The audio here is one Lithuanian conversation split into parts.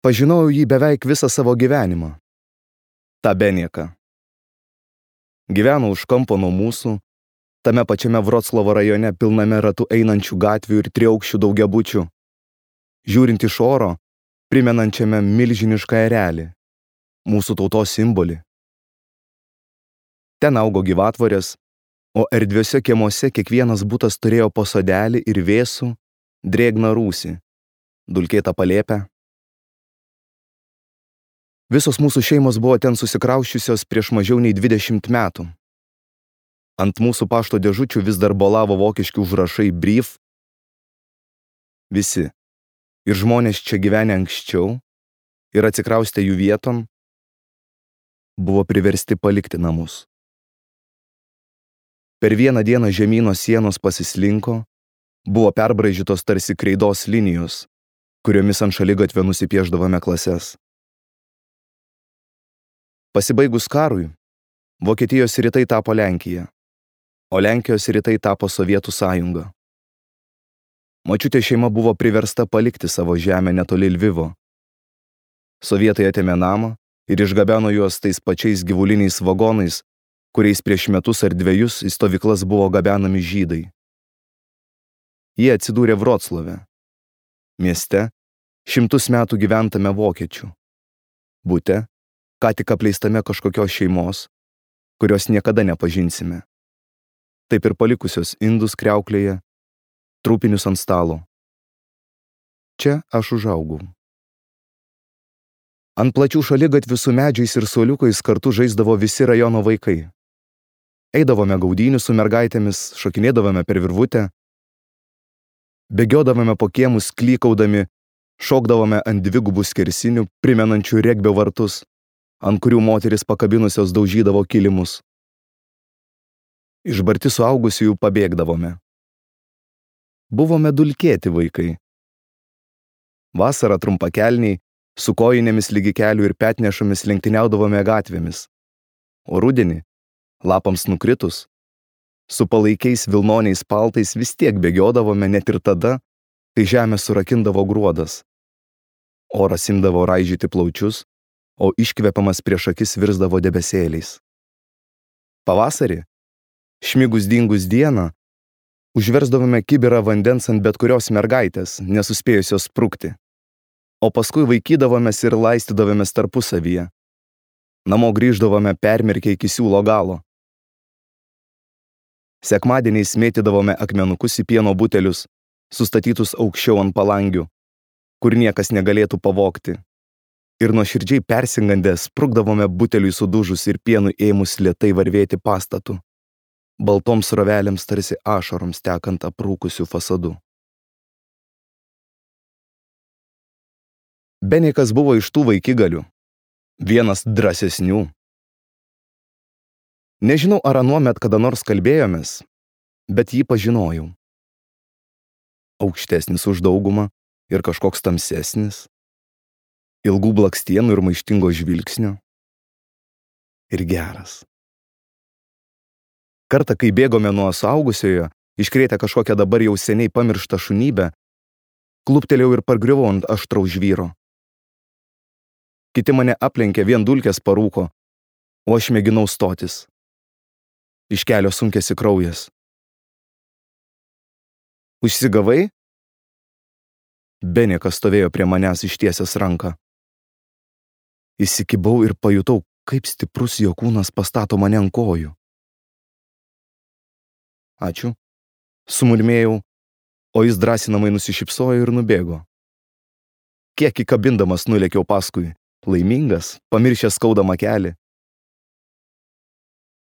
Pažinojau jį beveik visą savo gyvenimą. Ta Benieką. Gyveno už kampo nuo mūsų, tame pačiame Vroclavo rajone pilname ratu einančių gatvių ir triaukščių daugiabučių, žiūrint iš oro, primenančiame milžinišką erelį, mūsų tautos simbolį. Ten augo gyvatvorės, o erdviuose kiemuose kiekvienas butas turėjo po sodelį ir vėsų, drėgną rūsį, dulkėtą palėpę. Visos mūsų šeimos buvo ten susikrausčiusios prieš mažiau nei 20 metų. Ant mūsų pašto dėžučių vis dar bolavo vokiški užrašai brief. Visi, ir žmonės čia gyvenę anksčiau, ir atsikraustę jų vieton, buvo priversti palikti namus. Per vieną dieną žemyno sienos pasislinko, buvo perbraižytos tarsi kreidos linijos, kuriomis ant šaligatvio nusipieždavome klases. Pasibaigus karui, Vokietijos rytai tapo Lenkija, o Lenkijos rytai tapo Sovietų sąjunga. Močiutė šeima buvo priversta palikti savo žemę netoli Lvivo. Sovietai atėmė namą ir išgabeno juos tais pačiais gyvuliniais vagonais, kuriais prieš metus ar 2 į stovyklas buvo gabenami žydai. Jie atsidūrė Vroclave, mieste, 100 metų gyventame vokiečių, bute, ką tik apleistame kažkokios šeimos, kurios niekada nepažinsime. Taip ir palikusios indus kriauklėje, trupinius ant stalo. Čia aš užaugau. Ant plačių šaligatvių su medžiais ir suoliukais kartu žaisdavo visi rajono vaikai. Eidavome gaudynių su mergaitėmis, šokinėdavome per virvutę, bėgiodavome po kiemus klykaudami, šokdavome ant 2 skersinių, primenančių regbio vartus, ant kurių moteris pakabinusios daužydavo kilimus. Išbarti suaugusiųjų pabėgdavome. Buvome dulkėti vaikai. Vasarą trumpakelniai, su kojinėmis lygi kelių ir petnešomis lenktyniaudavome gatvėmis. O rudenį, lapams nukritus, su palaikiais vilnoniais paltais vis tiek bėgiodavome net ir tada, kai žemė surakindavo gruodas. Oras imdavo raižyti plaučius, o iškvepiamas prieš akis virsdavo debesėliais. Pavasarį, šmigus dingus dieną, užversdavome kibirą vandens ant bet kurios mergaitės, nesuspėjusios sprukti, o paskui vaikydavomės ir laistydavomės tarpusavyje. Namo grįždavome permirkę iki siūlo galo. Sekmadieniais mėtydavome akmenukus į pieno butelius, sustatytus aukščiau ant palangių, kur niekas negalėtų pavogti. Ir nuoširdžiai persigandę sprukdavome buteliui sudužus ir pienui ėmus lėtai varvėti pastatu, baltoms srovelėms tarsi ašaroms tekant aprūkusių fasadų. Beniekas buvo iš tų vaikigalių, vienas drąsesnių. Nežinau, ar anuomet kada nors kalbėjomės, bet jį pažinojau. Aukštesnis už daugumą ir kažkoks tamsesnis, ilgų blakstienų ir maištingo žvilgsnio. Ir geras. Kartą, kai bėgome nuo suaugusiojo, iškrėtę kažkokią dabar jau seniai pamirštą šunybę, kluptelėjau ir pargriuvau ant aštraus žvyro. Kiti mane aplenkė, vien dulkės parūko, o aš mėginau stotis. Iš kelio sunkėsi kraujas. Užsigavai? Beniekas stovėjo prie manęs ištiesęs ranką. Įsikibau ir pajutau, kaip stiprus jo kūnas pastato mane ant kojų. Ačiū, sumurmėjau, o jis drąsinamai nusišypsojo ir nubėgo. Kiek įkabindamas nulėkiau paskui, laimingas, pamiršęs skaudamą kelį.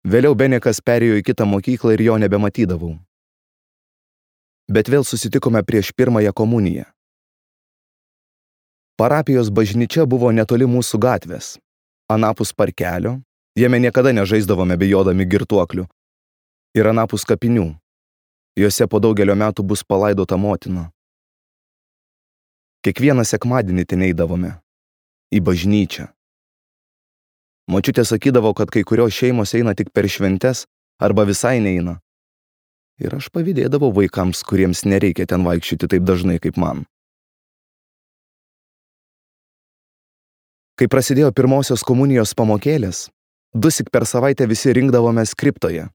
Vėliau Beniekas perėjo į kitą mokyklą ir jo nebematydavau. Bet vėl susitikome prieš pirmąją komuniją. Parapijos bažnyčia buvo netoli mūsų gatvės, anapus parkelio, jame niekada nežaisdavome bijodami girtuoklių, ir anapus kapinių, juose po daugelio metų bus palaidota motina. Kiekvieną sekmadienį ten eidavome, į bažnyčią. Močiutė sakydavo, kad kai kurios šeimos eina tik per šventes arba visai neina. Ir aš pavydėdavau vaikams, kuriems nereikia ten vaikščioti taip dažnai kaip man. Kai prasidėjo pirmosios komunijos pamokėlės, 2 per savaitę visi rinkdavomės kriptoje.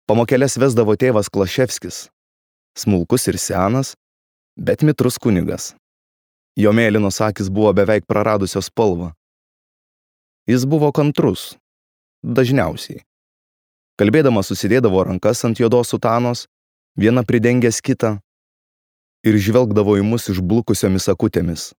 Pamokėlės vesdavo tėvas Klaševskis, smulkus ir senas, bet mitrus kunigas. Jo mėlynos akys buvo beveik praradusios spalvą. Jis buvo kantrus, dažniausiai. Kalbėdamas susidėdavo rankas ant juodos sutanos, viena pridengęs kitą, ir žvelgdavo į mus išblukusiomis akutėmis.